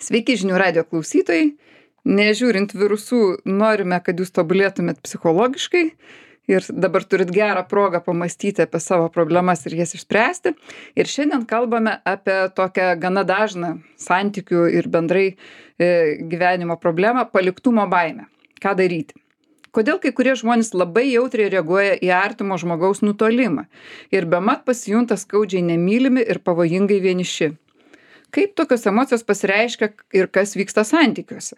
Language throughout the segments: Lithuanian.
Sveiki žinių radijo klausytojai. Nežiūrint virusų, norime, kad jūs tobulėtumėt psichologiškai ir dabar turit gerą progą pamąstyti apie savo problemas ir jas išspręsti. Ir šiandien kalbame apie tokią gana dažną santykių ir bendrai gyvenimo problemą - paliktumo baimę. Ką daryti? Kodėl kai kurie žmonės labai jautriai reaguoja į artimo žmogaus nutolimą ir bemat pasijunta skaudžiai nemylimi ir pavojingai vieniši? Kaip tokios emocijos pasireiškia ir kas vyksta santykiuose?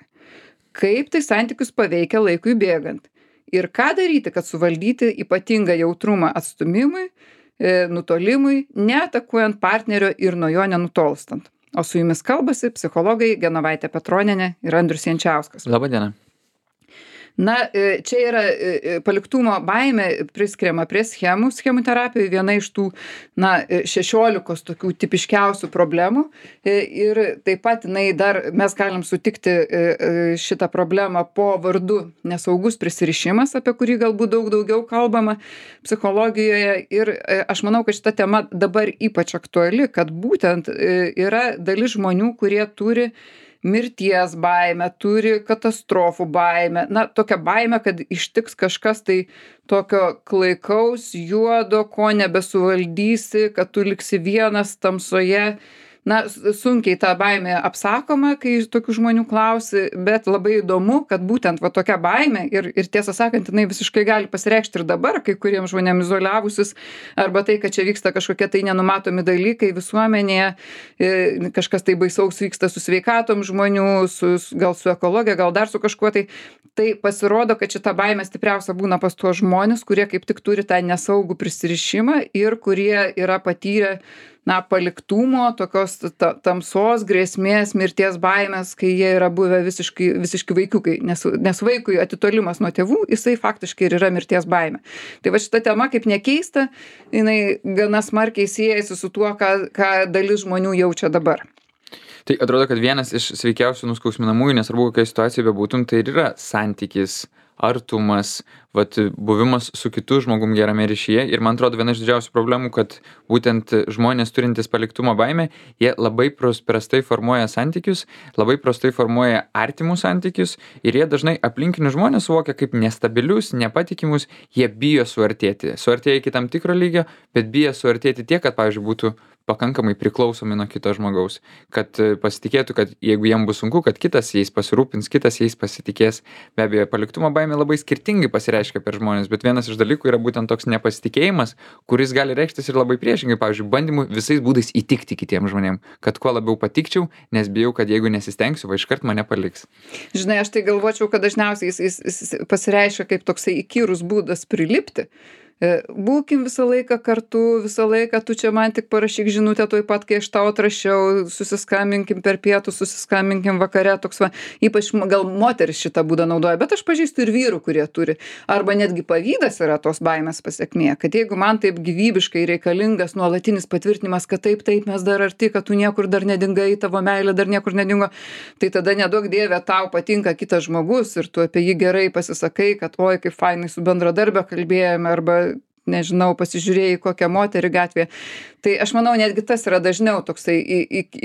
Kaip tai santykius paveikia laikui bėgant? Ir ką daryti, kad suvaldyti ypatingą jautrumą atstūmimui, nutolimui, neatakuojant partnerio ir nuo jo nenutolstant? O su jumis kalbasi psichologai Genovaitė Petronienė ir Andrius Jančiauskas. Labą dieną. Na, čia yra paliktumo baimė priskiriama prie schemų terapijoje, viena iš tų, 16 tokių tipiškiausių problemų. Ir taip pat mes galim sutikti šitą problemą po vardu nesaugus prisirišimas, apie kurį galbūt daug daugiau kalbama psichologijoje. Ir aš manau, kad šita tema dabar ypač aktuali, kad būtent yra dalis žmonių, kurie turi mirties baimę, turi katastrofų baimę, tokią baimę, kad ištiks kažkas tai tokio klaikaus, juodo, ko nebesuvaldysi, kad tu liksi vienas tamsoje. Sunkiai ta baimė apsakoma, kai tokių žmonių klausi, bet labai įdomu, kad būtent tokia baimė ir tiesą sakant, jinai visiškai gali pasireikšti ir dabar, kai kuriems žmonėms izoliavusis, arba tai, kad čia vyksta kažkokie tai nenumatomi dalykai visuomenėje, kažkas tai baisaus vyksta su sveikatom žmonių, gal su ekologija, gal dar su kažkuo tai. Tai pasirodo, kad šita baimė stipriausia būna pas tuos žmonės, kurie kaip tik turi tą nesaugų prisirišimą ir kurie yra patyrę paliktumo, tokios tamsos, grėsmės, mirties baimės, kai jie yra buvę visiški vaikiukai, nes vaikui atitolimas nuo tėvų, jisai faktiškai ir yra mirties baimė. Tai šita tema, kaip nekeista, jinai gana smarkiai siejasi su tuo, ką dalis žmonių jaučia dabar. Tai atrodo, kad vienas iš sveikiausių nuskausminamųjų, nesvarbu kokia situacija bebūtum, tai ir yra santykis, artumas, buvimas su kitu žmogum gerame ryšyje. Ir man atrodo, viena iš didžiausių problemų, kad būtent žmonės turintys paliktumo baimę, jie labai prastai formuoja santykius, labai prastai formuoja artimus santykius ir jie dažnai aplinkinius žmonės suvokia kaip nestabilius, nepatikimus, jie bijo suartėti. Suartėja iki tam tikro lygio, bet bijo suartėti tiek, kad, pavyzdžiui, būtų pakankamai priklausomi nuo kito žmogaus, kad pasitikėtų, kad jeigu jiem bus sunku, kad kitas jais pasirūpins, kitas jais pasitikės. Be abejo, paliktumo baimė labai skirtingai pasireiškia per žmonės, bet vienas iš dalykų yra būtent toks nepasitikėjimas, kuris gali reikštis ir labai priešingai, pavyzdžiui, bandymu visais būdais įtikti kitiem žmonėm, kad kuo labiau patikčiau, nes bijau, kad jeigu nesistengsiu, iškart mane paliks. Žinai, aš tai galvočiau, kad dažniausiai jis pasireiškia kaip toksai įkyrus būdas prilipti. Būkim visą laiką kartu, visą laiką tu čia man tik parašyk žinutę tuoj pat, kai aš tau atrašiau, susiskambinkim per pietus, susiskambinkim vakare, ypač gal moteris šitą būdą naudoja, bet aš pažįstu ir vyrų, kurie turi. Arba netgi pavydas yra tos baimės pasekmė, kad jeigu man taip gyvybiškai reikalingas nuolatinis patvirtinimas, kad taip, mes dar arti, kad tu niekur dar nedingai, tavo meilė dar niekur nedingo, tai tada neduok dieve tau patinka kitas žmogus ir tu apie jį gerai pasisakai, kad oi, kaip fainai su bendradarbio kalbėjome, arba nežinau, pasižiūrėjai kokią moterį gatvėje. Tai aš manau, netgi tas yra dažniau toksai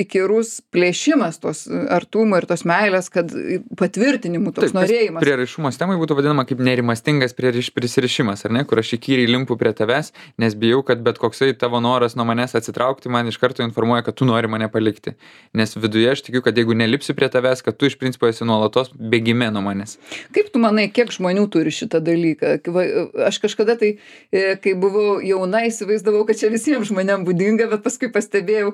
įkyrus plėšimas tos artumo ir tos meilės, kad patvirtinimų toks norėjimas. Prieraišumo temai būtų vadinama kaip nerimastingas prisirišimas, ar ne, kur aš įkyriai limpu prie tavęs, nes bijau, kad bet koksai tavo noras nuo manęs atsitraukti man iš karto informuoja, kad tu nori mane palikti. Nes viduje aš tikiu, kad jeigu nelipsi prie tavęs, kad tu iš principo esi nuolatos bėgime nuo manęs. Kaip tu manai, kiek žmonių turi šitą dalyką? Aš kažkada tai kai buvau jauna, įsivaizdavau, kad čia visiems žmonėms būdinga, bet paskui pastebėjau,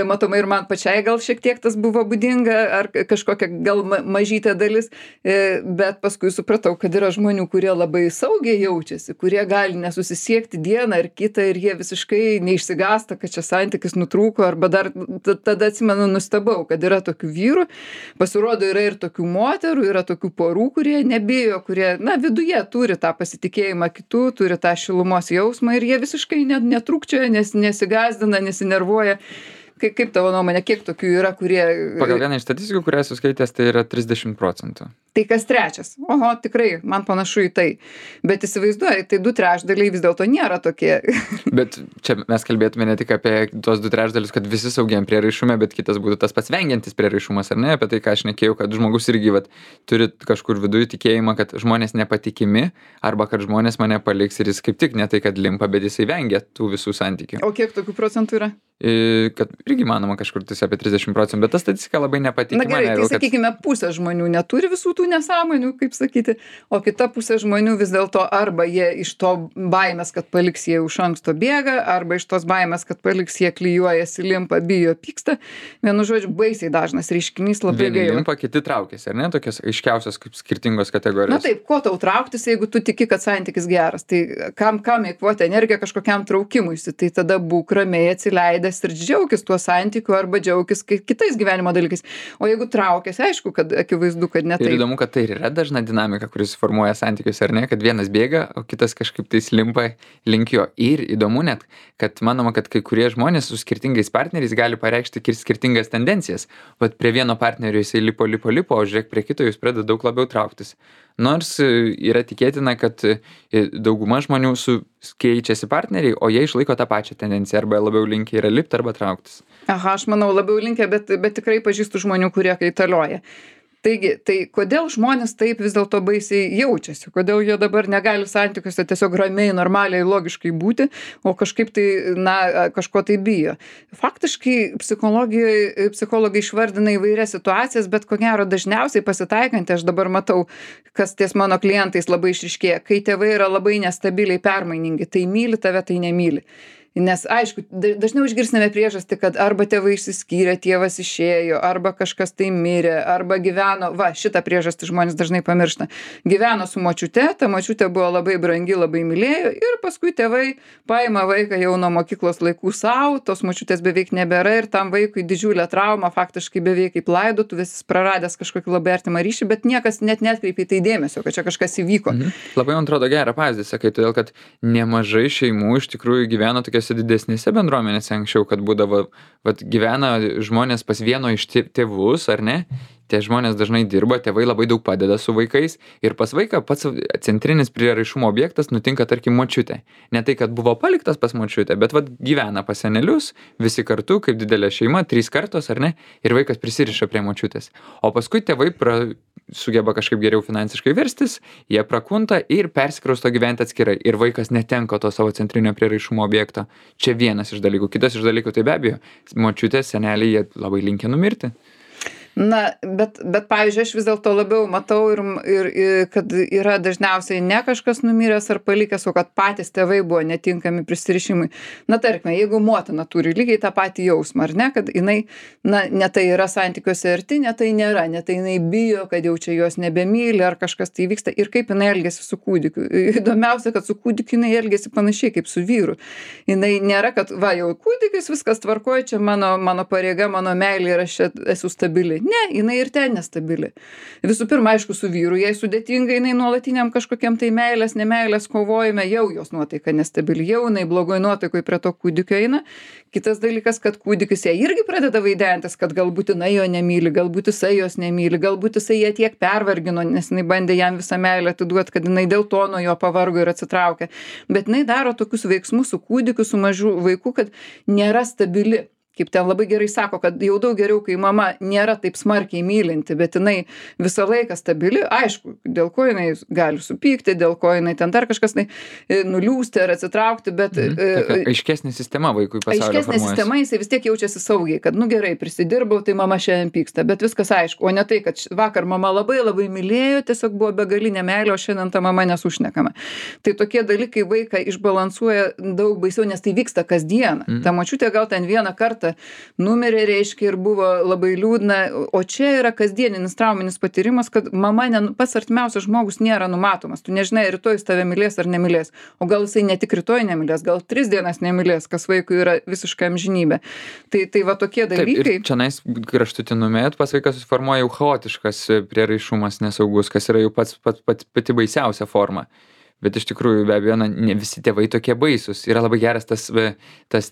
matomai ir man pačiai gal šiek tiek tas buvo būdinga, ar kažkokia gal mažytė dalis, bet paskui supratau, kad yra žmonių, kurie labai saugiai jaučiasi, kurie gali nesusisiekti dieną ar kitą ir jie visiškai neišsigąsta, kad čia santykis nutrūko, arba dar tada atsimenu nustebau, kad yra tokių vyrų, pasirodo yra ir tokių moterų, yra tokių porų, kurie nebijo, kurie, viduje turi tą pasitikėjimą kitų, turi tą šilumos jausmą ir jie visiškai netrūkčioja, nesigąsdina, nesinervuoja. kaip tavo nuomonė, kiek tokių yra, kurie... Pagal vieną iš statistikų, kurią esu skaitęs, tai yra 30%. Tai kas trečias? Oho, tikrai, man panašu į tai. Bet įsivaizduoji, tai 2/3 vis dėlto nėra tokie. Bet čia mes kalbėtume ne tik apie tuos 2/3, kad visi saugiam prieraišume, bet kitas būtų tas pats vengiantis prieraišumas, ar ne? Apie tai, ką aš nekėjau, kad žmogus irgi vat, turi kažkur viduje tikėjimą, kad žmonės nepatikimi, arba kad žmonės mane paliks ir jis kaip tik ne tai, kad limpa, bet jisai vengia tų visų santykių. O kiek tokių procentų yra? Kad irgi manoma kažkur tai apie 30%, bet ta statistika labai nepatikima. Na gerai, tai sakykime, pusė žmonių neturi visų tų nesąmonių, kaip sakyti, o kita pusė žmonių vis dėlto arba jie iš to baimės, kad paliks jie iš anksto bėga, arba iš tos baimės, kad paliks jie klijuojasi, limpa, bijo, pyksta. Vienu žodžiu, baisiai dažnas reiškinys, labai gaila. Vieni limpa, kiti traukiasi, ar ne? Tokios aiškiausios kaip skirtingos kategorijos. Na taip, ko tau trauktis, jeigu tu tiki, kad santykis geras? Tai kam eikvoti energiją kažkokiam traukimuisi? Tai tada būk ramiai atsileidęs ir džiaukis tuo santykiu arba džiaukis kitais gyvenimo dalykais. O jeigu traukiasi, aišku, kad akivaizdu, kad ne taip. Ir įdomu, kad tai yra dažna dinamika, kuris formuoja santykius, ar ne? Kad vienas bėga, o kitas kažkaip tais limpa link jo. Ir įdomu net, kad manoma, kad kai kurie žmonės su skirtingais partneriais gali pareikšti skirtingas tendencijas. Vat prie vieno partnerio jisai lipo, o žiūrėk, prie kito jis pradeda daug labiau trauktis. Nors yra tikėtina, kad dauguma žmonių keičiasi partneriai, o jie išlaiko tą pačią tendenciją, arba labiau linkę yra lipti arba trauktis. Aha, aš manau labiau linkę, bet tikrai pažįstu žmonių, kurie kaitalioja. Taigi, tai kodėl žmonės taip vis dėlto baisiai jaučiasi? Kodėl jie dabar negali santykiuose tiesiog ramiai, normaliai, logiškai būti, o kažkaip tai, kažko tai bijo? Faktiškai psichologai išvardina įvairias situacijas, bet ko gero dažniausiai pasitaikantį, aš dabar matau, kas ties mano klientais labai išryškėja, kai tėvai yra labai nestabiliai permainingi, tai myli tave, tai nemyli. Nes, aišku, dažniau išgirsime priežastį, kad arba tėvai išsiskyrė, tėvas išėjo, arba kažkas tai mirė, arba gyveno, šitą priežastį žmonės dažnai pamiršta, gyveno su močiute, ta močiutė buvo labai brangi, labai mylėjo ir paskui tėvai paima vaiką jau nuo mokyklos laikų savo, tos močiutės beveik nebėra ir tam vaikui didžiulė trauma, faktiškai beveik kaip laidotuvės, jis praradęs kažkokį labai artimą ryšį, bet niekas net netkreipė į tai dėmesio, kad čia kažkas įvyko. Labai man atrodo gerą pavyzdį, sakai, todėl kad nemažai šeimų iš tikrųjų gyveno tokias didesnėse bendruomenėse anksčiau, kad būdavo, gyvena žmonės pas vieno iš tėvus, ar ne? Tie žmonės dažnai dirba, tėvai labai daug padeda su vaikais ir pas vaiką pats centrinis prieraišumo objektas nutinka, tarkim, močiutė. Ne tai, kad buvo paliktas pas močiutę, bet gyvena pas senelius, visi kartu, kaip didelė šeima, 3 kartos, ar ne? Ir vaikas prisiriša prie močiutės. O paskui tėvai sugeba kažkaip geriau finansiškai verstis, jie prakunta ir persikrausto gyventi atskirai. Ir vaikas netenka to savo centrinio prieraišumo objekto. Čia vienas iš dalykų. Kitas iš dalykų, tai be abejo, močiutės, seneliai, jie labai linkę numirti. Na, bet pavyzdžiui, aš vis dėlto labiau matau ir kad yra dažniausiai ne kažkas numiręs ar palikęs, o kad patys tėvai buvo netinkami prisirišimui. Na, tarkime, jeigu motina turi lygiai tą patį jausmą, ar ne, kad jinai, ne tai yra santykiuose arti, ne tai nėra, ne tai jinai bijo, kad jau čia jos nebemyli ar kažkas tai vyksta ir kaip jinai elgiasi su kūdikiu. Įdomiausia, kad su kūdikiu jinai elgiasi panašiai kaip su vyru. Jinai nėra, kad jau kūdikis, viskas tvarkoja, čia mano pareiga, mano meilė ir aš čia esu stabili. Ne, jinai ir ten nestabili. Visų pirma, aišku, su vyru jai sudėtinga, jinai nuolatiniam kažkokiam tai meilės, nemeilės kovojime, jau jos nuotaika nestabili, jau jinai blogoj nuotaikoj prie to kūdikio eina. Kitas dalykas, kad kūdikis ją irgi pradeda vaidentis, kad galbūt jinai jo nemyli, galbūt jisai jos nemyli, galbūt jisai ją tiek pervargino, nes jinai bandė jam visą meilę atiduoti, kad jinai dėl to nuo jo pavargo ir atsitraukė. Bet jinai daro tokius veiksmus su kūdikiu, su mažu vaiku, kad nėra stabili. Kaip ten labai gerai sako, kad jau daug geriau, kai mama nėra taip smarkiai mylinti, bet jinai visą laiką stabili, aišku, dėl ko jinai gali supykti, dėl ko jinai ten dar kažkas nuliūsti ar atsitraukti, bet... Aiškesnė sistema vaikui pasaulio formuojasi. Aiškesnė sistema, jisai vis tiek jaučiasi saugiai, kad gerai, prisidirbau, tai mama šiandien pyksta, bet viskas aišku, o ne tai, kad vakar mama labai labai mylėjo, tiesiog buvo begalinė meilė, o šiandien ta mama nesušnekama. Tai tokie dalykai vaiką išbalansuoja daug baisiau, nes tai vyksta kasdieną. Ta močiutė gal ten vieną kartą numirė, reiškia, ir buvo labai liūdna, o čia yra kasdieninis trauminis patyrimas, kad mama, pats artimiausias žmogus nėra numatomas, tu nežinai, rytoj jis tave mylės ar nemylės, o gal jisai ne tik rytoj nemylės, gal 3 dienas nemylės, kas vaikui yra visiška amžinybė. Tai va tokie dalykai. Taip, ir čionais kraštutinume, pas vaiką susiformuoja jau chaotiškas prieraišumas nesaugus, kas yra jau pati baisiausia forma. bet iš tikrųjų be abejo, ne visi tėvai tokie baisūs. Yra labai geras tas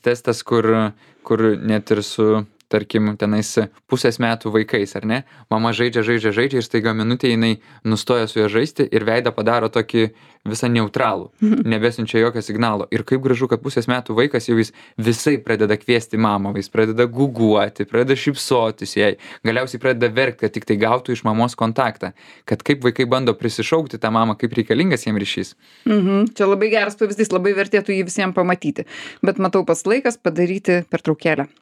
testas, kur net ir su, tarkim, tenais pusės metų vaikais, ar ne? Mama žaidžia ir staiga minutė jinai nustoja su juo žaisti ir veidą padaro tokį visą neutralų, nebesiunčia jokio signalo. Ir kaip gražu, kad pusės metų vaikas jau jis visai pradeda kviesti mamą, jis pradeda guguoti, pradeda šypsotis jai, galiausiai pradeda verkti, kad tik tai gautų iš mamos kontaktą. Kad kaip vaikai bando prisišaukti tą mamą, kaip reikalingas jiems ryšys. Čia labai geras pavyzdys, labai vertėtų jį visiems pamatyti. Bet matau pats laikas padaryti pertraukėlę.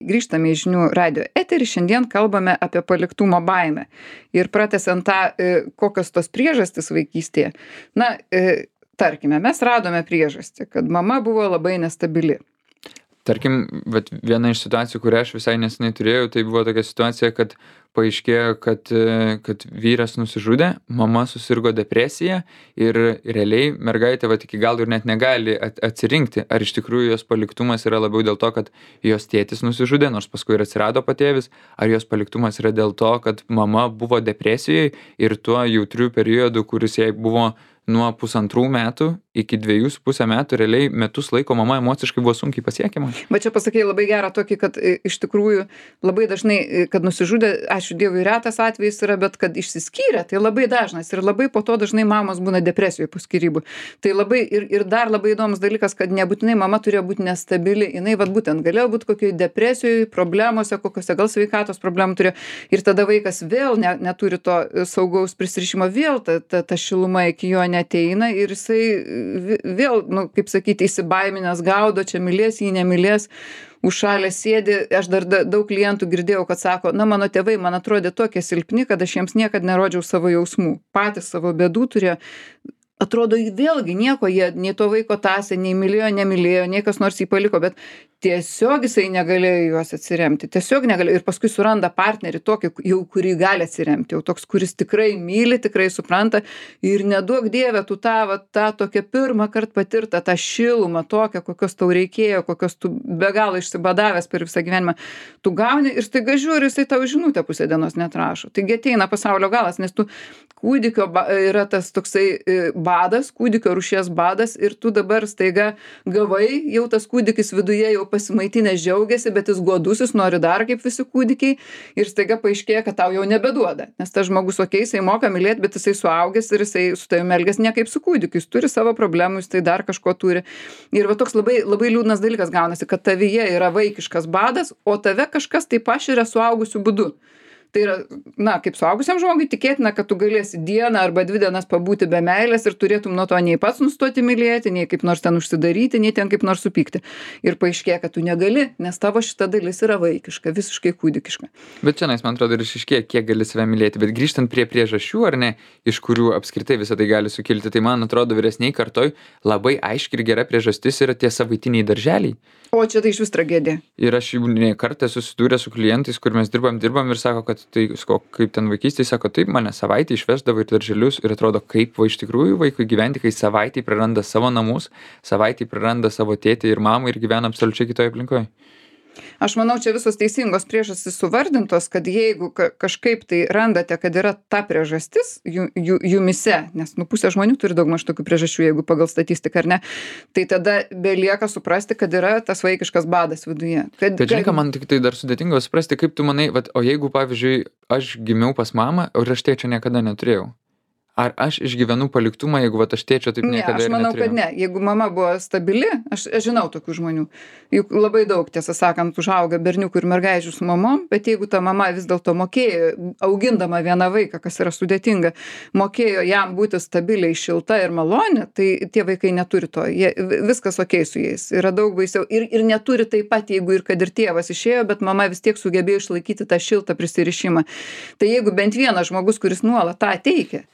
Grįžtame į žinių radijo eterį, šiandien kalbame apie paliktumo baimę. Ir pratęsiant tą, kokios tos priežastys vaikystėje. Tarkime, mes radome priežastį, kad mama buvo labai nestabili. Tarkim, bet viena iš situacijų, kurią aš visai neseniai turėjau, tai buvo tokia situacija, kad paaiškėjo, kad vyras nusižudė, mama susirgo depresija ir realiai mergaitė iki galo ir net negali atsirinkti, ar iš tikrųjų jos paliktumas yra labiau dėl to, kad jos tėtis nusižudė, nors paskui ir atsirado patėvis, ar jos paliktumas yra dėl to, kad mama buvo depresijoje ir tuo jautriu periodu, kuris jai buvo nuo 1,5 metų iki 2,5 metų, realiai metus laiko mama emociškai buvo sunkiai pasiekiama. Bet čia pasakei labai gerą tokį, kad iš tikrųjų labai dažnai, kad nusižudė, ačiū Dievui, retas atvejis yra, bet kad išsiskyrė, tai labai dažnas ir labai po to dažnai mamos būna depresijoje po skyrybų. Tai labai ir dar labai įdomus dalykas, kad nebūtinai mama turėjo būti nestabili, jinai būtent galėjo būti kokioje depresijoje, problemose, kokiose gal sveikatos problemų turėjo ir tada vaikas vėl neturi to saugaus prisirišimo, vėl ta šiluma iki jo neateina ir jisai vėl, kaip sakyti, įsibaiminęs gaudo, čia mylės, jį nemylės, užšalęs sėdi. Aš dar daug klientų girdėjau, kad sako, mano tėvai man atrodė tokie silpni, kad aš jiems niekad nerodžiau savo jausmų. Patys savo bėdų turėjo. Atrodo, vėlgi nieko, jie nei to vaiko tąsė, nei mylėjo, nemylėjo, nei kas nors jį paliko, bet tiesiog jisai negalėjo juos atsiremti. Tiesiog negalėjo. Ir paskui suranda partnerį tokį, jau kurį gali atsiremti. Jau toks, kuris tikrai myli, tikrai supranta. Ir neduok Dieve, tu tą tokią pirmą kartą patirtą, tą šilumą tokią, kokios tau reikėjo, kokios tu be galo išsibadavęs per visą gyvenimą. Tu gauni ir staiga žiūri, jisai tau žinutę pusę dienos netrašo. Taigi ateina pasaulio galas, nes tu kūdikio yra tas toksai badas, kūdikio rūšies badas ir tu dabar staiga gavai, jau tas kūdikis viduje jau pasimaitinęs džiaugiasi, bet jis godusis, nori dar kaip visi kūdikiai ir staiga paaiškėja, kad tau jau nebeduoda. Nes tas žmogus, jisai moka mylėti, bet jisai suaugęs ir jisai su tavimi elgiasi ne kaip su kūdikiu, jis turi savo problemų, jis tai dar kažko turi. Ir toks labai, labai liūdnas dalykas gaunasi, kad tavyje yra vaikiškas badas, o tave kažkas taip paširia suaugusiu būdu. Tai yra, kaip suaugusiam žmogui tikėtina, kad tu galėsi dieną arba 2 dienas pabūti be meilės ir turėtum nuo to nei pats nustoti mylėti, nei kaip nors ten užsidaryti, nei ten kaip nors supykti. Ir paaiškėja, kad tu negali, nes tavo šita dalis yra vaikiška, visiškai kūdikiška. Bet čia, man atrodo, ir išaiškėja, kiek gali save mylėti. Bet grįžtant prie priežasčių, ar ne, iš kurių apskritai visą tai gali sukilti, tai man atrodo vyresniai kartoj labai aiški ir gera priežastis yra tie savaitiniai darželiai. O čia tai iš vis tragedija. Ir aš jau ne kartą susidūrė su klientais, kur mes dirbam ir sako, kad tai kaip ten vaikystėje, sako, taip mane savaitę išvesdavo į darželius ir atrodo, kaip iš tikrųjų vaikui gyventi, kai savaitę praranda savo namus, savaitę praranda savo tėtį ir mamą ir gyvena absoliučiai kitoje aplinkoje. Aš manau, čia visos teisingos priežastys suvardintos, kad jeigu kažkaip tai randate, kad yra ta priežastis jumise, nes pusė žmonių turi daugmaž tokių priežasčių, jeigu pagal statistiką ar ne, tai tada belieka suprasti, kad yra tas vaikiškas badas viduje. Bet žinai, man tik tai dar sudėtinga suprasti, kaip tu manai, o jeigu, pavyzdžiui, aš gimiau pas mamą, o aš tėčio niekada neturėjau. Ar aš išgyvenu paliktumą, jeigu aš tėčio taip niekada ir neturėjau? Aš manau, kad ne. Jeigu mama buvo stabili, aš žinau tokių žmonių. Juk labai daug, tiesą sakant, užauga berniukų ir mergaičių su mamom, bet jeigu ta mama vis dėlto mokėjo, augindama vieną vaiką, kas yra sudėtinga, mokėjo jam būti stabiliai, šilta ir maloni, tai tie vaikai neturi to. Viskas okei su jais. Yra daug baisiau. Ir neturi taip pat, jeigu ir kad ir tėvas išėjo, bet mama vis tiek sugebėjo išlaikyti tą šiltą prisirišimą. Tai jeigu bent vienas žmogus, kuris nuolat tą teikia,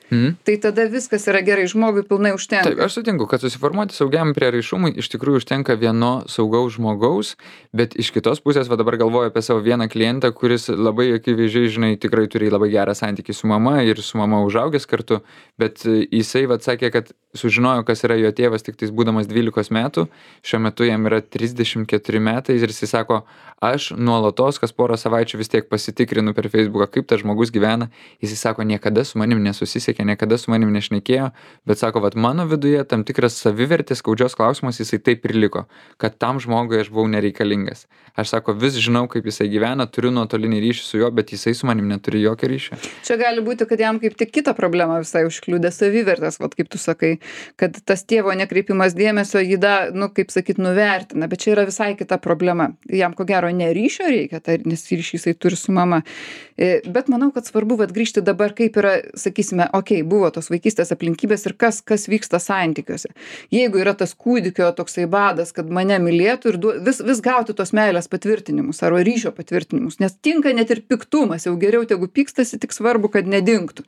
tai tada viskas yra gerai, žmogui pilnai užtenka. Taip, aš sutinku, kad susiformuoti saugiam prieraišumui iš tikrųjų užtenka vieno saugaus žmogaus, bet iš kitos pusės, va dabar galvoju apie savo vieną klientą, kuris labai akivaizdžiai, žinai, tikrai turi labai gerą santykį su mama ir su mama užaugęs kartu, bet jisai va sakė, kad sužinojo, kas yra jo tėvas tik tais būdamas 12 metų, šiuo metu jam yra 34 metai ir jisai sako, aš nuolatos kas porą savaičių vis tiek pasitikrinu per Facebooką, kaip tas žmogus gyvena. Jisai sako, niekada su manim nesusisiekė, niekada su manim nešnekėjo, bet sako, vat mano viduje tam tikras savivertės skaudžios klausimas jisai taip ir liko, kad tam žmogui aš buvau nereikalingas. Aš sako, vis žinau, kaip jisai gyvena, turiu nuotolinį ryšį su juo, bet jisai su manim neturi jokio ryšio. Čia gali būti, kad jam kaip tik kitą problemą visai užkliūdė savivertės, vat kaip tu sakai, kad tas tėvo nekreipimas dėmesio jį kaip sakyt, nuvertina, bet čia yra visai kita problema. Jam ko gero ne ryšio reikia, nes ryšį jisai turi su mama. Bet manau, kad svarbu grįžti dabar, kaip yra, sakysime, buvo tos vaikystės aplinkybės ir kas vyksta santykiuose. Jeigu yra tas kūdikio toksai badas, kad mane mylėtų ir vis gauti tos meilės patvirtinimus arba ryšio patvirtinimus, nes tinka net ir piktumas, jau geriau tegu pykstasi, tik svarbu, kad nedingtų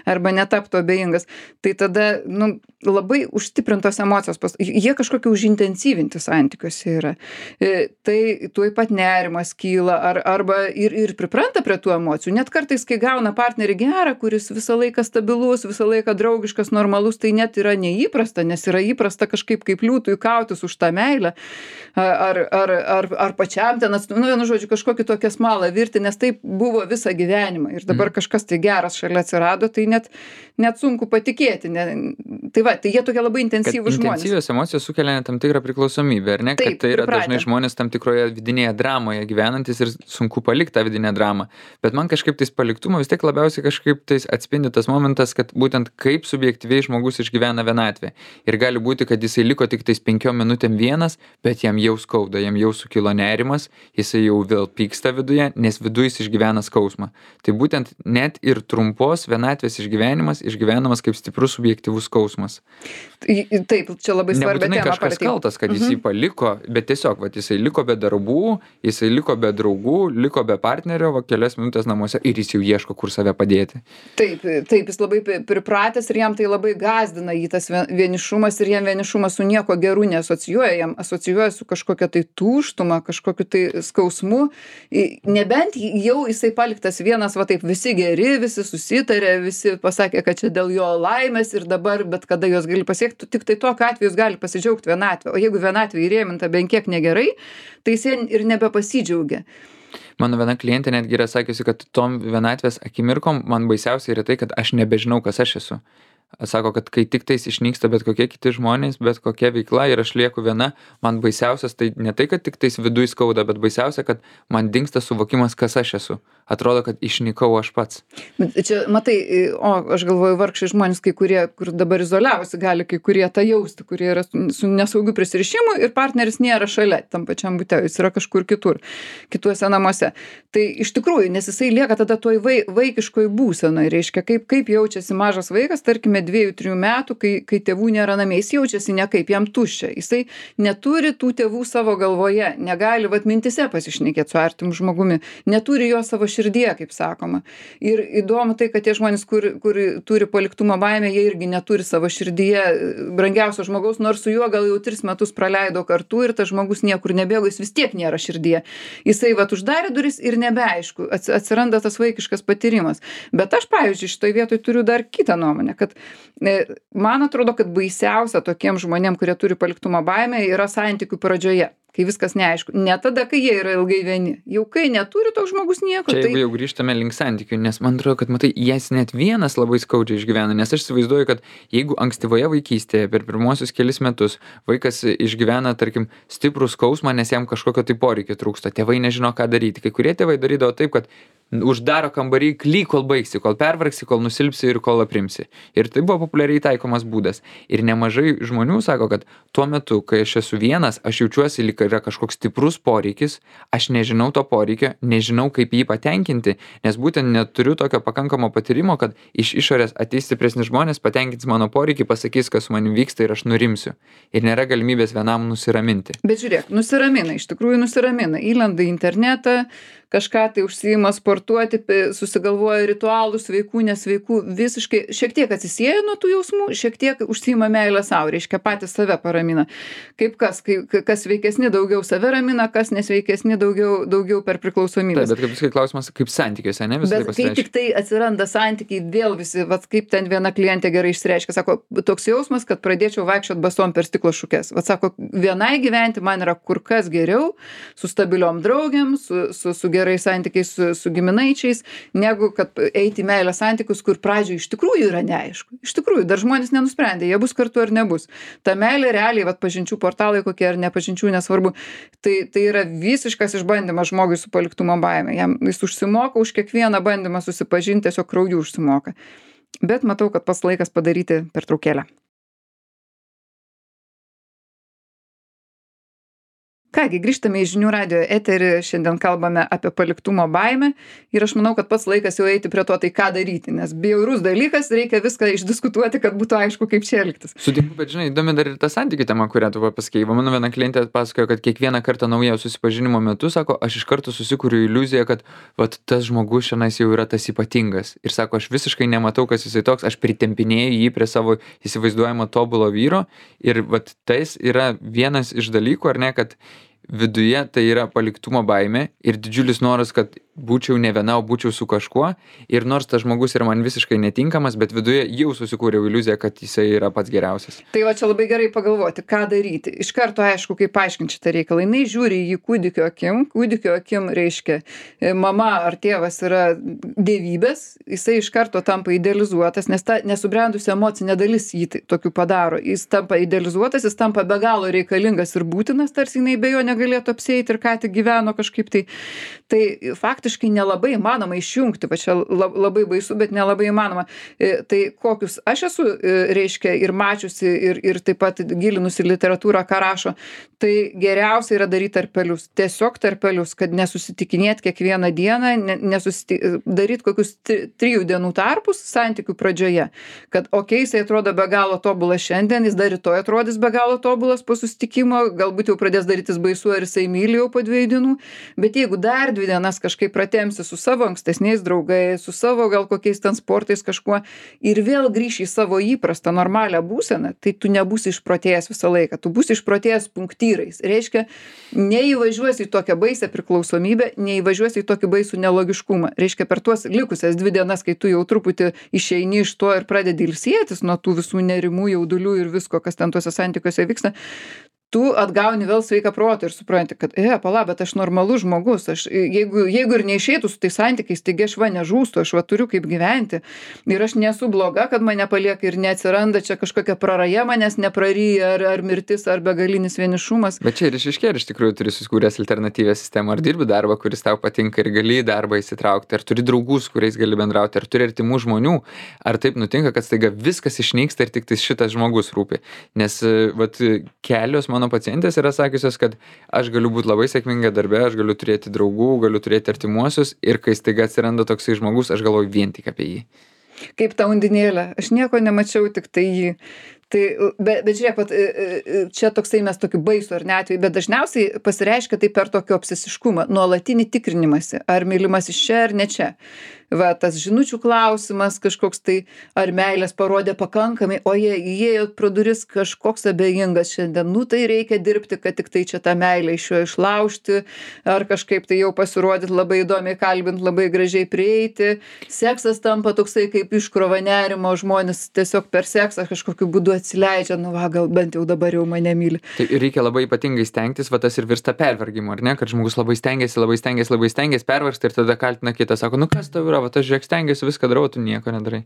arba netaptų abejingas. Tai tada, labai užstiprintos emocijos, jie kažkokie užintensyvinti santykiuose yra. Tai tuoj pat nerimas kyla arba ir pripranta prie tų emocijų. Net kartais, kai gauna partnerį gerą, kuris visą laiką stabilus, visą laiką draugiškas, normalus, tai net yra neįprasta, nes yra įprasta kažkaip kaip liūtui kautis už tą meilę ar pačiam ten vienu žodžiu kažkokį tokią smalą virti, nes taip buvo visą gyvenimą ir dabar kažkas tai geras šalia atsirado, tai net sunku patikėti. Tai jie tokie labai intensyvūs žmonės. Intensyvios emocijos sukelia tam tikrą priklausomybę, ar ne? Taip, kad tai yra pripratę. Dažnai žmonės tam tikroje vidinėje dramoje gyvenantis ir sunku palikti tą vidinę dramą. Bet man kažkaip tais paliktumo vis tiek labiausiai kažkaip tais atspindi tas momentas, kad būtent kaip subjektyviai žmogus išgyvena vienatvę. Ir gali būti, kad jisai liko tik tais 5 minutėm vienas, bet jam jau skauda, jam jau sukilo nerimas, jisai jau vėl pyksta viduje, nes viduje jis išgyvena skausmą. Tai būtent net ir trumpos vienatvės išgyvenamas kaip stiprus subjektyvus skausmas. Taip, čia labai svarbi tema. Nebūtinai kažkas kaltas, kad jis jį paliko, bet tiesiog, jisai liko be darbų, jisai liko be draugų, liko be partnerio, kelias minutės namuose ir jis jau ieško, kur save padėti. Taip, jis labai pripratęs ir jam tai labai gąsdina jį tas vienišumas ir jam vienišumas su nieko geru neasocijuoja, jam asocijuoja su kažkokia tai tuštuma, kažkokiu tai skausmu. Nebent jau jisai paliktas vienas, taip visi geri, visi susitarė, visi pasakė, kad čia dėl jo laimės ir dabar bet kada jos gali pasiekti, tik tai tokiu atveju jis gali pasidžiaugti vienatvę. O jeigu vienatvė įrėminta bent kiek negerai, tai jis ir nebepasidžiaugia. Mano viena klientė netgi yra sakiusi, kad tom vienatvės akimirkom man baisiausia yra tai, kad aš nebežinau, kas aš esu. Sako, kad kai tik tais išnyksta bet kokie kiti žmonės, bet kokia veikla ir aš lieku viena, man baisiausias tai ne tai, kad tik tais viduj skauda, bet baisiausia, kad man dingsta suvokimas, kas aš esu. Atrodo, kad išnykau aš pats. Čia, matai, aš galvoju, vargšai žmonės, kai kurie, kur dabar izoliavosi, gali kai kurie tą jausti, kurie yra su nesaugiu prisirišimu ir partneris nėra šalia tam pačiam bute, jis yra kažkur kitur, kituose namuose. Tai iš tikrųjų, nes jisai lieka tada toj vaikiškoj būsenoj, reiškia, kaip jaučiasi mažas vaikas, tarkime, 2-3 metų, kai tėvų nėra namie, jis jaučiasi nekaip, jam tuščia, jisai neturi tų tėvų savo galvoje, negali mintise pasišnekėti su artimu žmogumi, neturi jo savo širdyje, kaip sakoma. Ir įdomu tai, kad tie žmonės, kur turi paliktumo baimę, jie irgi neturi savo širdyje brangiausio žmogaus, nors su juo gal jau 3 metus praleido kartu ir tas žmogus niekur nebėgo, jis vis tiek nėra širdyje. Jisai uždarė duris ir nebeaišku, atsiranda tas vaikiškas patyrimas. Bet aš, pavyzdžiui, šitoj vietoj turiu dar kitą nuomonę, kad man atrodo, kad baisiausia tokiem žmonėm, kurie turi paliktumo baimę, yra santykių pradžioje, kai viskas neaišku. Ne tada, kai jie yra ilgai vieni. Jau kai neturi toks žmogus nieko. Čia jeigu jau grįžtame link santykių, nes man atrodo, kad matai, jas net vienas labai skaudžiai išgyvena, nes aš įsivaizduoju, kad jeigu ankstyvoje vaikystėje per pirmuosius kelis metus vaikas išgyvena, tarkim, stiprų skausmą, nes jam kažkokio tai poreikio trūksta, tėvai nežino, ką daryti. Kai kurie tėvai darydavo taip, kad uždaro kambarį klyk, kol baigsi, kol pervargsi, kol nusilpsi ir kol aprimsi. Ir tai buvo populiariai taikomas būdas. Ir nemažai žmonių sako, kad tuo metu, kai aš esu vienas, aš jaučiuosi, lyg yra kažkoks stiprus poreikis, aš nežinau to poreikio, nežinau, kaip jį patenkinti, nes būtent neturiu tokio pakankamo patyrimo, kad iš išorės ateis stipresni žmonės, patenkins mano poreikį, pasakys, kas su manim vyksta ir aš nurimsiu. Ir nėra galimybės vienam nusiraminti. Bet žiūrėk, nusiramina, iš tikrųjų nusiramina. Įlenda į internetą, kažką tai užsiima sportuoti, susigalvoja ritualų sveikų, nesveikų, visiškai šiek tiek atsisieja nuo tų jausmų, šiek tiek užsiima meilę sau, reiškia patys save paramina. Kaip kas sveikesni daugiau save ramina, kas nesveikesni daugiau per priklausomybės. Taip, bet kaip klausimas, kaip santykiuose, ne visai Bet kai pasireiškia. tik tai atsiranda santykiai, vėl visi, vat kaip ten viena klientė gerai išsireiškia, sako, toks jausmas, kad pradėčiau vaikščiot basom per stiklo šukes. Vat sako, vienai gyventi man yra kur kas geriau, su stabiliom draugėm, su gerais santykiais, su giminaičiais, negu kad eiti į meilės santykius, kur pradžioje iš tikrųjų yra neaišku. Iš tikrųjų, dar žmonės nenusprendė, jie bus kartu ar nebus. Ta meilė realiai, vat pažinčių portalai kokie ar nepažinčių, nesvarbu. Tai yra visiškas išbandymas žmogui su paliktumo baime. Jis užsimoka už kiekvieną bandymą susipažinti, tiesiog krauju užsimoka. Bet matau, kad pats laikas padaryti pertraukėlę. Kągi, grįžtame į Žinių radijo eterį, šiandien kalbame apie paliktumo baimę ir aš manau, kad pats laikas jau eiti prie to, tai ką daryti, nes bjaurus dalykas, reikia viską išdiskutuoti, kad būtų aišku, kaip čia elgtis. Sutinku, bet žinai, įdomi dar ir ta santykių tema, kurią tu pasakei. Mano viena klientė pasakojo, kad kiekvieną kartą naujo susipažinimo metu, sako, aš iš karto susikuriu iliuziją, kad vat, tas žmogus šiandien jau yra tas ypatingas. Ir sako, aš visiškai nematau, kas jisai toks, aš pritempinėju jį prie savo įsivaizduojamo tobulo vyro. Ir vat, tais yra vienas iš dalykų, ar ne, kad viduje tai yra paliktumo baimė ir didžiulis noras, kad būčiau ne viena, o būčiau su kažkuo. Ir nors tas žmogus yra man visiškai netinkamas, bet viduje jau susikūriau iliuziją, kad jisai yra pats geriausias. Tai va čia labai gerai pagalvoti, ką daryti. Iš karto aišku, kaip paaiškinti šitą reikalą. Jis žiūri į jį kūdikio akim. Kūdikio akim reiškia, mama ar tėvas yra dievybės, jisai iš karto tampa idealizuotas, nes ta nesubrendusi emocinė dalis jį tokiu padaro. Jis tampa idealizuotas, jis tampa be galo reikalingas ir būtinas, tarsi jinai be jo negalėtų apsieiti ir ką tik gyveno kažkaip tai. Tai faktiškai nelabai įmanoma išjungti, va čia labai baisu, bet nelabai įmanoma. Tai kokius aš esu, reiškia, ir mačiusi, ir taip pat gilinusi literatūrą, ką rašo, tai geriausia yra daryti tarpelius. Tiesiog tarpelius, kad nesusitikinėt kiekvieną dieną, daryti kokius 3 dienų tarpus santykių pradžioje. Kad jisai atrodo be galo tobulas šiandien, jis dar rytoj atrodys be galo tobulas po susitikimo, galbūt jau pradės darytis baisu, ar jisai myli jau po 2 dienų, bet jeigu dar 2 dienas kažkaip pratempsi su savo ankstesniais draugais, su savo gal kokiais ten sportais kažkuo ir vėl grįši į savo įprastą normalią būseną, tai tu nebūsi išprotėjęs visą laiką, tu būsi išprotėjęs punktyrais. Reiškia, neįvažiuosi į tokią baisę priklausomybę, neįvažiuosi į tokį baisų nelogiškumą. Reiškia, per tuos likusias 2 dienas, kai tu jau truputį išeini iš to ir pradedi ilsėtis nuo tų visų nerimų, jaudulių ir visko, kas ten tuose santykiuose vyksta, tu atgauni vėl sveiką protą ir supranti, kad, pala, bet aš normalus žmogus, jeigu ir neišeitų su tais santykiais, taigi aš nežūstu, aš turiu kaip gyventi ir aš nesu bloga, kad mane palieka ir neatsiranda čia kažkokia praraja, manęs nepraryja ar mirtis, ar begalinis vienišumas. Bet čia ir išaiškėja, iš tikrųjų turi susikūręs alternatyvią sistemą, ar dirbi darbą, kuris tau patinka ir gali į darbą įsitraukti, ar turi draugų, su kuriais gali bendrauti, ar turi artimų žmonių, ar taip nutinka, kad staiga viskas išnyksta ir tik tai šitas žmogus rūpi. Nes vat, kelios mano pacientės yra sakiusios, kad aš galiu būti labai sėkminga darbe, aš galiu turėti draugų, galiu turėti artimuosius ir kai staiga atsiranda toksai žmogus, aš galvoju vien tik apie jį. Kaip ta undinėlė, aš nieko nemačiau, tik tai jį. Tai, bet žiūrėk, čia toksai mes tokiu baisu ar ne atveju, bet dažniausiai pasireiškia tai per tokį obsesiškumą, nuolatinį tikrinimąsi, ar mylimas iš čia ar ne čia. Va, tas žinučių klausimas kažkoks tai, ar meilės parodė pakankamai, o jie įėjo pro duris kažkoks abejingas šiandien, tai reikia dirbti, kad tik tai čia tą meilę iš jo išlaužti, ar kažkaip tai jau pasirodyti labai įdomiai kalbint, labai gražiai prieiti. Seksas tampa toksai kaip iškrova nerimo, žmonės tiesiog per seksą kažkokiu būdu atsileidžia, gal bent jau dabar jau mane myli. Tai reikia labai ypatingai stengtis, va tas ir virsta pervargimu, ar ne, kad žmogus labai stengiasi, pervargsta ir tada kaltina kitą, sako, kas tau yra, va aš žiūrėk stengiuosi, viską darau, tu nieko nedarai.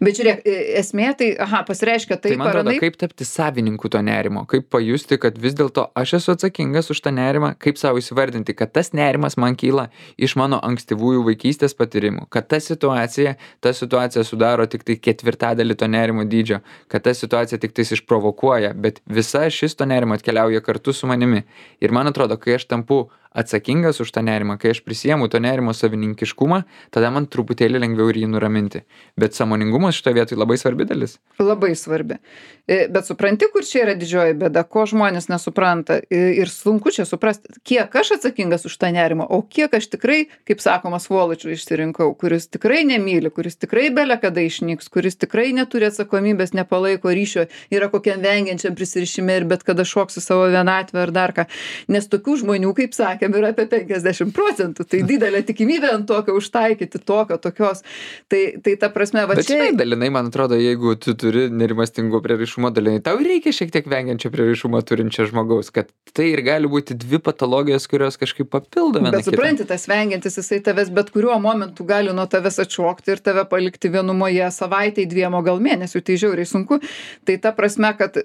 Bet žiūrėk, esmė tai, pasireiškia tai, tai man atrodo, kaip tapti savininku to nerimo, kaip pajusti, kad vis dėlto aš esu atsakingas už tą nerimą, kaip savo įsivardinti, kad tas nerimas man kyla iš mano ankstyvųjų vaikystės patyrimų, kad ta situacija sudaro tik tai 1/4 to nerimo dydžio, kad ta situacija tik tais išprovokuoja, bet visa šis to nerimo atkeliauja kartu su manimi. Ir man atrodo, kai aš tampu atsakingas už tą nerimą, kai aš prisiemu to nerimo savininkiškumą, tada man truputėlį lengviau ir jį nuraminti. Bet sąmoningumas nerimastingumas šitoje vietoje labai svarbi dalis. Labai svarbi. Bet supranti, kur čia yra didžioji bėda, ko žmonės nesupranta. Ir sunku čia suprasti, kiek aš atsakingas už tą nerimą, o kiek aš tikrai, kaip sakoma, svoločių išsirinkau, kuris tikrai nemyli, kuris tikrai bele kada išnyks, kuris tikrai neturi atsakomybės, nepalaiko ryšio, yra kokiam vengiančiam prisirišime ir bet kada šoks į savo vienatvę ar dar ką. Nes tokių žmonių, kaip sakėm, yra apie 50%. Tai didelė tikimybė ant tokio užtaikyti, tokios. Tai ta prasme, va Bet čia... žinai, dalinai, man atrodo, jeigu tu turi nerimastingo prieraišumo dalinai, tau reikia šiek tiek vengiančio prieraišumo turinčio žmogaus, kad tai ir gali būti dvi patologijos, kurios kažkaip papildo vieną Bet supranti, tas vengiantis, jisai tavęs bet kuriuo momentu gali nuo tavęs atšokti ir tave palikti vienumoje savaitėj, 2 o gal mėnesių, tai žiauriai sunku. Tai ta prasme, kad,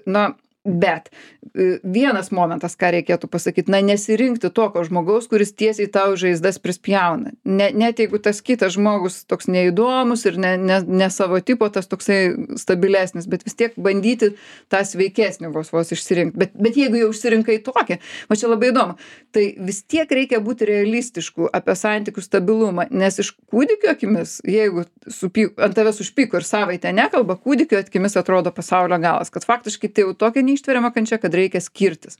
bet vienas momentas, ką reikėtų pasakyti, nesirinkti tokio žmogaus, kuris tiesiai tau žaizdas prispjauna. Net jeigu tas kitas žmogus toks neįdomus ir ne savo tipo, tas toksai stabilesnis, bet vis tiek bandyti tą sveikesnį vos išsirinkti. Bet jeigu jau išsirinkai tokį, va čia labai įdomu, tai vis tiek reikia būti realistišku apie santykių stabilumą, nes iš kūdikio akimis, jeigu ant tavęs užpyko ir savaitę nekalba, kūdikio akimis atrodo pasaulio galas, kad faktiškai tai jau tokia neištveriama kančia, kad reikia skirtis.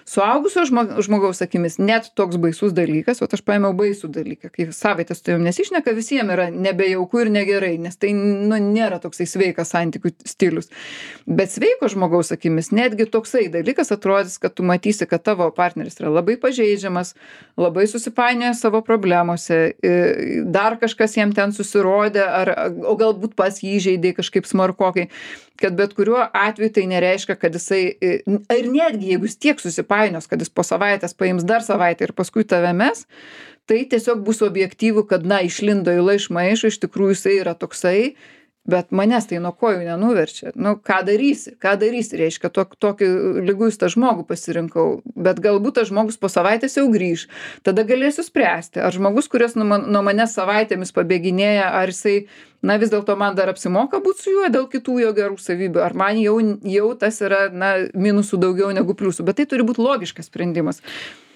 Suaugusio žmogaus akimis net toks baisus dalykas, o aš paėmiau baisų dalyką, kai savaitę su tavim nesišneka, visiems yra nebejauku ir negerai, nes tai nėra toksai sveikas santykių stilius. Bet sveiko žmogaus akimis netgi toksai dalykas atrodys, kad tu matysi, kad tavo partneris yra labai pažeidžiamas, labai susipainioja savo problemose, dar kažkas jam ten susirodė, o galbūt pas jį įžeidė kažkaip smarkokai, kad bet kuriuo atveju tai nereiškia, kad jisai, ir netgi jeigu jis tiek susipainios, kad jis po savaitės paims dar savaitę ir paskui tave mes, tai tiesiog bus objektyvų, kad išlindo įla iš maišo, iš tikrųjų jisai yra toksai, bet manęs tai nuo kojų nenuverčia. Ką darysi, reiškia, tokį liguistą žmogų pasirinkau, bet galbūt tas žmogus po savaitės jau grįž, tada galėsiu spręsti, ar žmogus, kuris nuo manęs savaitėmis pabėginėja, ar jisai, vis dėlto man dar apsimoka būti su juo dėl kitų jo gerų savybių, ar man jau tas yra, minusų daugiau negu pliusų, bet tai turi būti logiškas sprendimas.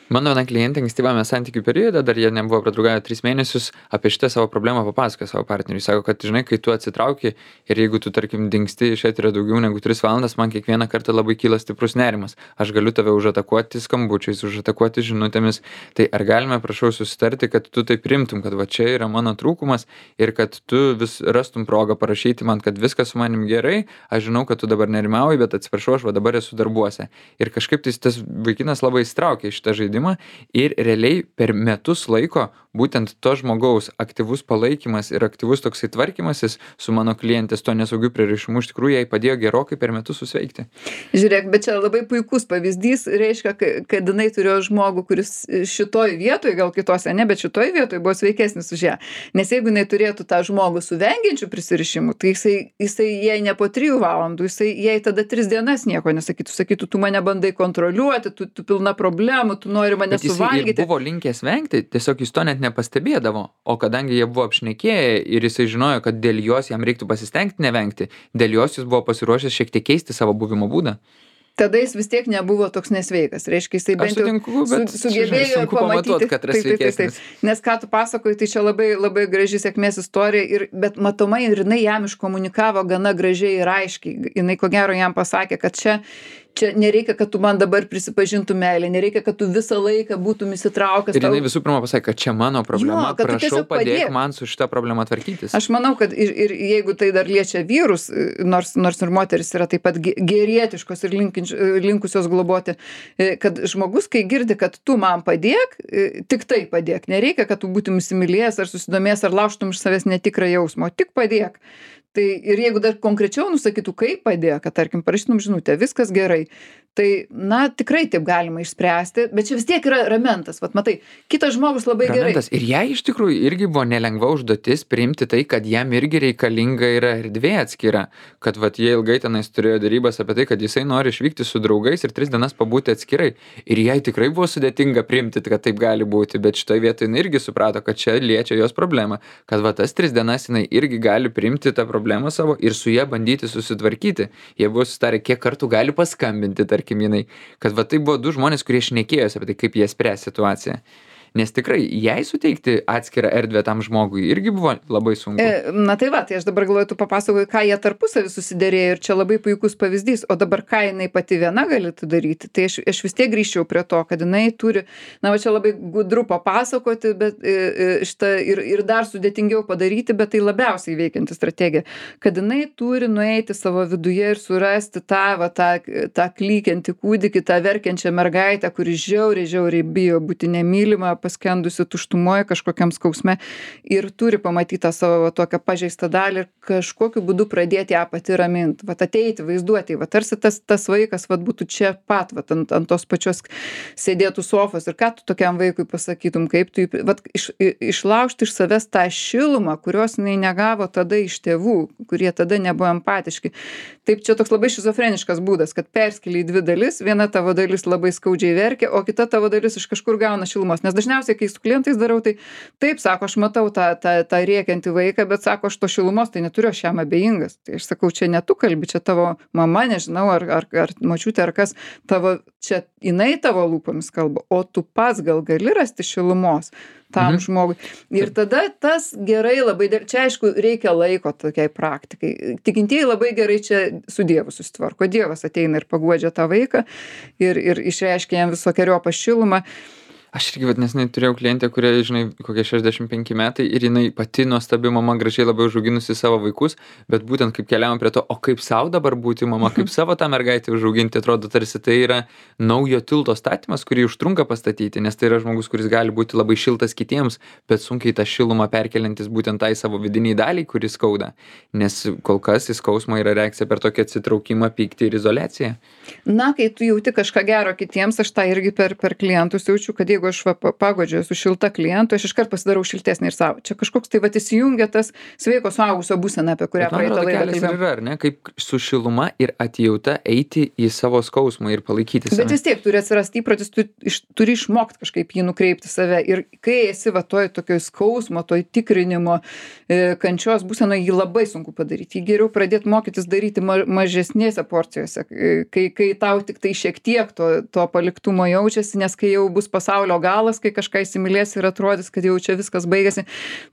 Mano viena klientė ankstyvame santykių periode, dar jie nebuvo pradraugavę 3 mėnesius, apie šitą savo problemą papasakojo savo partneriui. Sako, kad žinai, kai tu atsitrauki ir jeigu tu, tarkim, dingsti iš eterio daugiau negu 3 valandas, man kiekvieną kartą labai kyla stiprus nerimas. Aš galiu tave užatakuoti skambučiais, užatakuoti žinutėmis. Tai ar galime, prašau, susitarti, kad tu tai primtum, kad va čia yra mano trūkumas ir kad tu vis rastum progą parašyti man, kad viskas su manim gerai, aš žinau, kad tu dabar nerimauji, bet atsiprašau, aš va dabar esu darbuose. Ir kažkaip tas vaikinas labai įstraukė šitą žaidimą. Ir realiai per metus laiko būtent to žmogaus aktyvus palaikymas ir aktyvus toksai tvarkymasis su mano klientės to nesaugiu prieraišumu iš tikrųjų jai padėjo gerokai per metus susveikti. Žiūrėk, bet čia labai puikus pavyzdys, reiškia, kad jinai turėjo žmogų, kuris šitoj vietoj, gal kitose ne, bet šitoj vietoj buvo sveikesnis už ją. Nes jeigu jinai turėtų tą žmogų su vengiančiu prisirišimu, tai jisai jai ne po 3 valandų, jisai jai tada 3 dienas nieko sakytų, tu mane bandai kontroliuoti, tu pilna problemų, tu nori mane suvalgyti. Ir buvo linkęs vengti, tiesiog jis to net nepastebėdavo, o kadangi jie buvo apšnekėję ir jisai žinojo, kad dėl jos jam reiktų pasistengti nevengti, dėl jos jis buvo pasiruošęs šiek tiek keisti savo buvimo būdą. Tada jis vis tiek nebuvo toks nesveikas. Reiškia, jisai bent jau sugebėjo pamatyti, kad yra sveikesnis. Nes ką tu pasakoji, tai čia labai, labai graži sėkmės istorija, bet matomai ir jinai jam iškomunikavo gana gražiai ir aiškiai. Jinai ko gero jam pasakė, kad čia nereikia, kad tu man dabar prisipažintų meilę, nereikia, kad tu visą laiką būtum įsitraukęs. Ir jinai visų pirma pasakė, kad čia mano problema, prašau padėk man su šitą problemą tvarkytis. Aš manau, kad ir jeigu tai dar liečia vyrus, nors ir moteris yra taip pat gerietiškos ir linkusios globoti, kad žmogus, kai girdi, kad tu man padėk, tik tai padėk. Nereikia, kad tu būtum įsimylėjęs ar susidomėjęs ar laužtum iš savęs netikrą jausmą, tik padėk. Tai ir jeigu dar konkrečiau nusakytų, kaip padėjo, kad, tarkim, parašytum žinutę, viskas gerai, tai, tikrai taip galima išspręsti, bet čia vis tiek yra ramentas, vat matai, kitas žmogus labai ramentas. Gerai. Ir jai iš tikrųjų irgi buvo nelengva užduotis priimti tai, kad jam irgi reikalinga yra erdvė atskira, kad vat jie ilgai tenais turėjo darybas apie tai, kad jisai nori išvykti su draugais ir 3 dienas pabūti atskirai. Ir jai tikrai buvo sudėtinga priimti, kad taip gali būti, bet šitoje vietoje jinai irgi suprato, kad čia liečia jos problemą, kad va tas 3 dienas jinai irgi gali priimti tą problemą savo ir su ją bandyti susitvarkyti. Jie buvo susitarę, kiek kartų gali paskambinti, tarkim, jinai, kad va tai buvo 2 žmonės, kurie šnekėjosi apie tai, kaip jie spręs situaciją. Nes tikrai jai suteikti atskirą erdvę tam žmogui irgi buvo labai sunku. Na tai va, tai aš dabar galvoju, tu papasakoji, ką jie tarpusavį susiderėjo ir čia labai puikus pavyzdys, o dabar ką jinai pati viena galėtų daryti, tai aš vis tiek grįžčiau prie to, kad jinai turi, na va čia labai gudru papasakoti, bet šitą ir dar sudėtingiau padaryti, bet tai labiausiai veikianti strategija, kad jinai turi nueiti savo viduje ir surasti tą klykiantį kūdikį, tą verkiančią mergaitę, kuri žiauriai bijo būti nemylima, paskendusi tuštumoje kažkokiam skausme ir turi pamatyti tą savo tokią pažeistą dalį ir kažkokiu būdu pradėti ją pati raminti, vat ateiti, vaizduoti, vat tarsi tas vaikas vat būtų čia pat, vat ant tos pačios sėdėtų sofos ir ką tu tokiam vaikui pasakytum, kaip tu vat išlaužti iš savęs tą šilumą, kurios jinai negavo tada iš tėvų, kurie tada nebuvo empatiški. Taip čia toks labai šizofreniškas būdas, kad perskeli į dvi dalis, viena tavo dalis labai skaudžiai verkia, o kita tavo dalis iš kažkur gauna šilumos, nes dažniausiai, kai su klientais darau, tai taip sako, aš matau tą rėkiantį vaiką, bet sako, aš to šilumos tai neturiu, aš jam abejingas. Tai aš sakau, čia ne tu kalbi, čia tavo mama, nežinau, ar močiutė, ar kas, čia jinai tavo lūpomis kalba, o tu pats gal gali rasti šilumos tam žmogui. Ir tada tas gerai labai, čia aišku, reikia laiko tokiai praktikai. Tikintieji labai gerai čia su Dievu susitvarko. Dievas ateina ir paguodžia tą vaiką ir išreiškia jam visokeriopą šilumą. Aš irgi nesenai turėjau klientę, kuriai, žinai, kokie 65 metai ir jinai pati nuostabi mama, gražiai labai užauginusi savo vaikus, bet būtent kaip keliavom prie to, o kaip savo dabar būti mama, kaip savo tą mergaitę užauginti, atrodo, tarsi tai yra naujo tilto statymas, kurį užtrunka pastatyti, nes tai yra žmogus, kuris gali būti labai šiltas kitiems, bet sunkiai tą šilumą perkeliantis būtent tai savo vidiniai daliai, kuris skauda, nes kol kas į skausmą yra reakcija per tokį atsitraukimą, pyktį ir izoliaciją. Na, kai tu jauti kažką gero kitiems, aš tą irgi per klientus jaučiu, kad jeigu aš pagodžiu su šilta klientu, aš iškart pasidarau šiltesnį ir savo. Čia kažkoks tai įsijungia tas sveiko suaugusio būsena, apie kurią praeitą laidą kalbėjome. Yra, ar ne, kaip su šiluma ir atjauta eiti į savo skausmą ir palaikyti save. Bet vis tiek turi atsirasti įprotis, turi išmokti kažkaip jį nukreipti save. Ir kai esi tokioj skausmo, toj tikrinimo, kančios būsenoje, jį labai sunku padaryti. Jį geriau pradėti mokytis daryti mažesnėse porcijose, kai tau tik tai šiek tiek to paliktumo jaučiasi, nes kai jau bus pasaulio galas, kai kažką įsimylės ir atrodys, kad jau čia viskas baigėsi,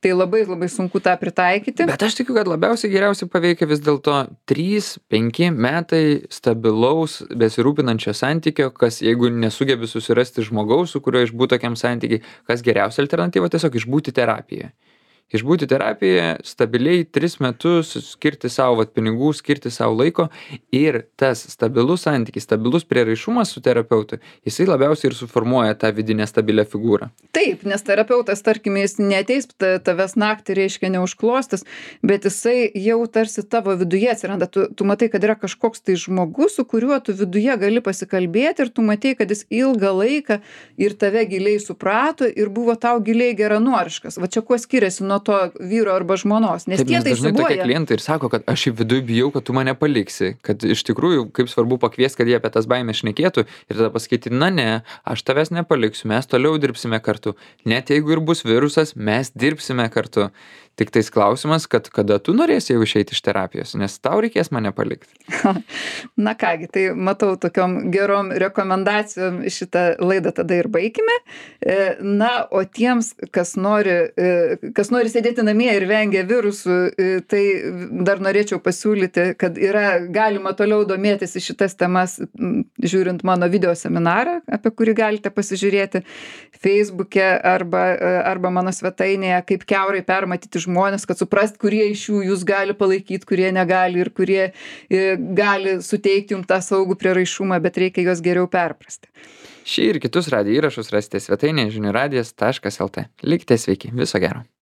tai labai sunku tą pritaikyti. Bet aš tikiu, kad geriausiai paveikia vis dėlto 3-5 metai stabilaus, besirūpinančio santykio, kas jeigu nesugebi susirasti žmogaus, su kuriuo išbūti tokiam santykiai, kas geriausia alternatyva, tiesiog išbūti terapijoje. Išbūti terapijoje stabiliai 3 metus, skirti savo pinigų, skirti savo laiko ir tas stabilus santykis, stabilus prieraišumas su terapeutu, jisai labiausiai ir suformuoja tą vidinę stabilią figūrą. Taip, nes terapeutas, tarkim, jis neateis tavęs naktį, reiškia neužklostis, bet jisai jau tarsi tavo viduje atsiranda. Tu matai, kad yra kažkoks tai žmogus, su kuriuo tu viduje gali pasikalbėti ir tu matai, kad jis ilgą laiką ir tave giliai suprato ir buvo tau giliai geranoriškas. Va čia kuo skiriasi nuo to vyro arba žmonos, nes tie tai dažnai tokie klientai ir sako, kad aš į vidų bijau, kad tu mane paliksi, kad iš tikrųjų kaip svarbu pakviesti, kad jie apie tas baimės šnekėtų ir tada pasakyti, na ne, aš tavęs nepaliksiu, mes toliau dirbsime kartu, net jeigu ir bus virusas, mes dirbsime kartu. Tik tais klausimas, kad kada tu norėsi jau išeiti iš terapijos, nes tau reikės mane palikti. Na kągi, tai matau tokiom gerom rekomendacijom šitą laidą tada ir baigime. Na, o tiems, kas nori sėdėti namie ir vengia virusų, tai dar norėčiau pasiūlyti, kad galima toliau domėtis į šitas temas, žiūrint mano video seminarą, apie kurį galite pasižiūrėti Facebook'e arba mano svetainėje, kaip kiaurai permatyti žmonės, kad suprast, kurie iš jų jūs gali palaikyti, kurie negali ir kurie gali suteikti jums tą saugų prieraišumą, bet reikia juos geriau perprasti. Šį ir kitus radijo įrašus rasite svetainėje žinių radijas.lt. Likite sveiki, viso gero.